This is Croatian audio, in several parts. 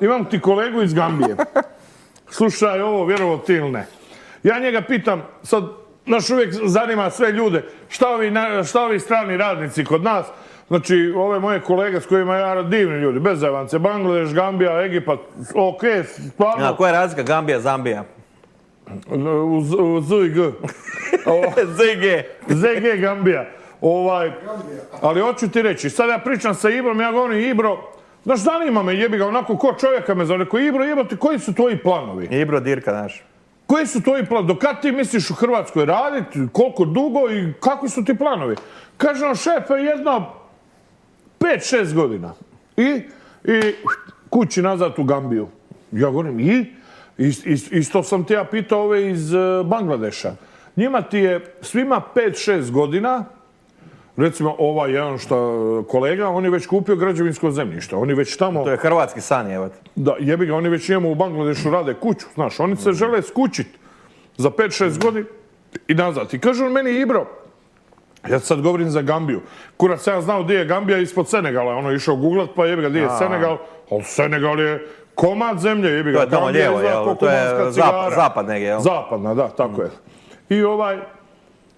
Imam ti kolegu iz Gambije. Slušaj ovo, vjerovo ti ili ne. Ja njega pitam, sad, naš uvijek zanima sve ljude, šta ovi strani radnici kod nas, znači, ove moje kolege s kojima ja divni ljudi, bez zajvance, Bangladeš, Gambija, Egipat, ok, stvarno. Koja je razlika Gambija, Zambija? U Z i G. ZG Gambija. Ali hoću ti reći, sad ja pričam sa Ibrom, ja govorim Ibro, znaš, zanima me, jebi ga, onako ko čovjeka me zove, rekao Ibro, jebate, koji su tvoji planovi? Ibro Dirka, znaš. Koji su tvoji planovi? Do kad ti misliš u Hrvatskoj raditi, koliko dugo i kakvi su ti planovi? Kaže on, šefe, jedno 5-6 godina. I kući nazad u Gambiju. Ja govorim, isto sam te ja pitao ove iz Bangladeša. Njima ti je svima 5-6 godina, recimo ovaj jedan što kolega, on je već kupio građevinsko zemljište. Oni već tamo... To je hrvatski san, jevat. Da, jebi ga, oni već njemu u Bangladešu rade kuću, znaš, oni se žele skućiti za 5-6 godina i nazad. I kaže on meni, Ibro, ja sad govorim za Gambiju. Kurac, ja znao gdje je Gambija ispod Senegala. Ono je išao googlat, pa jebi ga, gdje je Senegal. Ali Senegal je komad zemlje, jebi ga. To je tamo lijevo, jel? To je zapad negdje, jel? Zapadna, da, tako je. I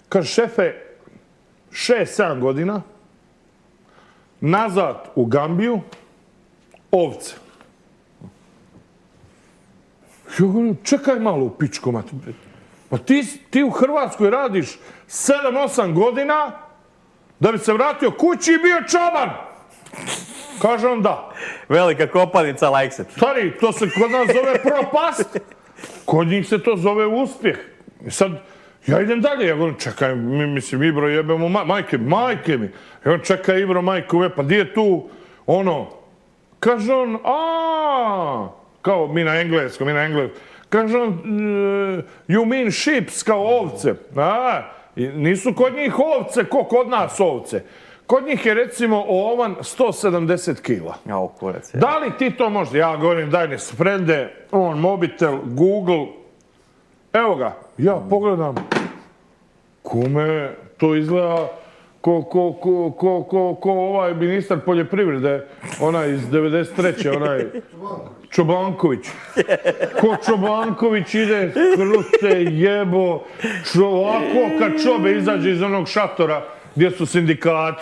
kaže, šefe, 6-7 godina, nazad u Gambiju, ovce. Ja govorim, čekaj malo u pičku, mati. Pa ti u Hrvatskoj radiš 7-8 godina da bi se vratio kući i bio čoban. Kaže on da. Velika kopanica, likes it. Stari, to se kod nas zove propast. Kod njih se to zove uspjeh. I sad, ja idem dalje. Ja govorim, čekaj, mislim, Ibro jebemo majke mi. Ja čekaj, Ibro, majku, pa di je tu, ono. Kaže on, kao mi na engleskom. Kaže on, you mean sheeps, kao ovce. Nisu kod njih ovce, ko kod nas ovce. Kod njih je recimo ovan 170 kila. Da li ti to možda? Ja govorim, daj ne sprende, on mobitel, Google. Evo ga, ja pogledam. Kume, to izgleda ko ovaj ministar poljoprivrede, onaj iz 93. onaj Čobanković. Ko Čobanković ide, krute, jebo, ovako kad Čobe izađe iz onog šatora gdje su sindikati,